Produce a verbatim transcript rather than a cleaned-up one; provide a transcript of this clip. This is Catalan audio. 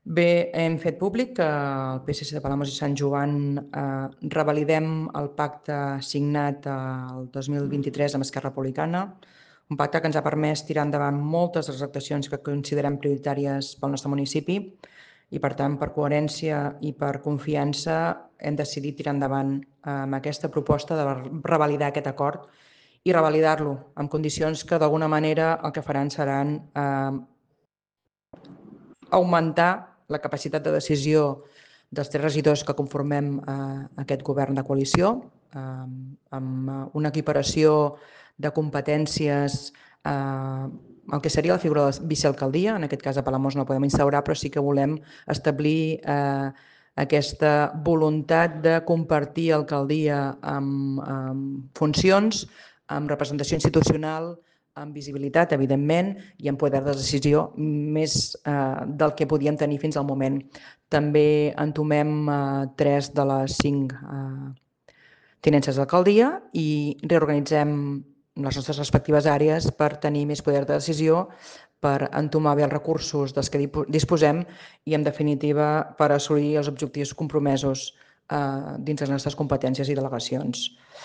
Bé, hem fet públic que el P S C de Palamós i Sant Joan eh, revalidem el pacte signat el dos mil vint-i-tres amb Esquerra Republicana, un pacte que ens ha permès tirar endavant moltes de les actuacions que considerem prioritàries pel nostre municipi i, per tant, per coherència i per confiança, hem decidit tirar endavant amb aquesta proposta de revalidar aquest acord i revalidar-lo en condicions que, d'alguna manera, el que faran seran eh, augmentar la capacitat de decisió dels tres regidors que conformem eh, aquest govern de coalició, eh, amb una equiparació de competències eh, el que seria la figura de la vicealcaldia. En aquest cas a Palamós no podem instaurar, però sí que volem establir eh, aquesta voluntat de compartir alcaldia amb, amb funcions, amb representació institucional, amb visibilitat, evidentment, i amb poder de decisió més eh, del que podíem tenir fins al moment. També entomem eh, tres de les cinc eh, tinences d'alcaldia i reorganitzem les nostres respectives àrees per tenir més poder de decisió, per entomar bé els recursos dels que disposem i, en definitiva, per assolir els objectius compromesos eh, dins les nostres competències i delegacions.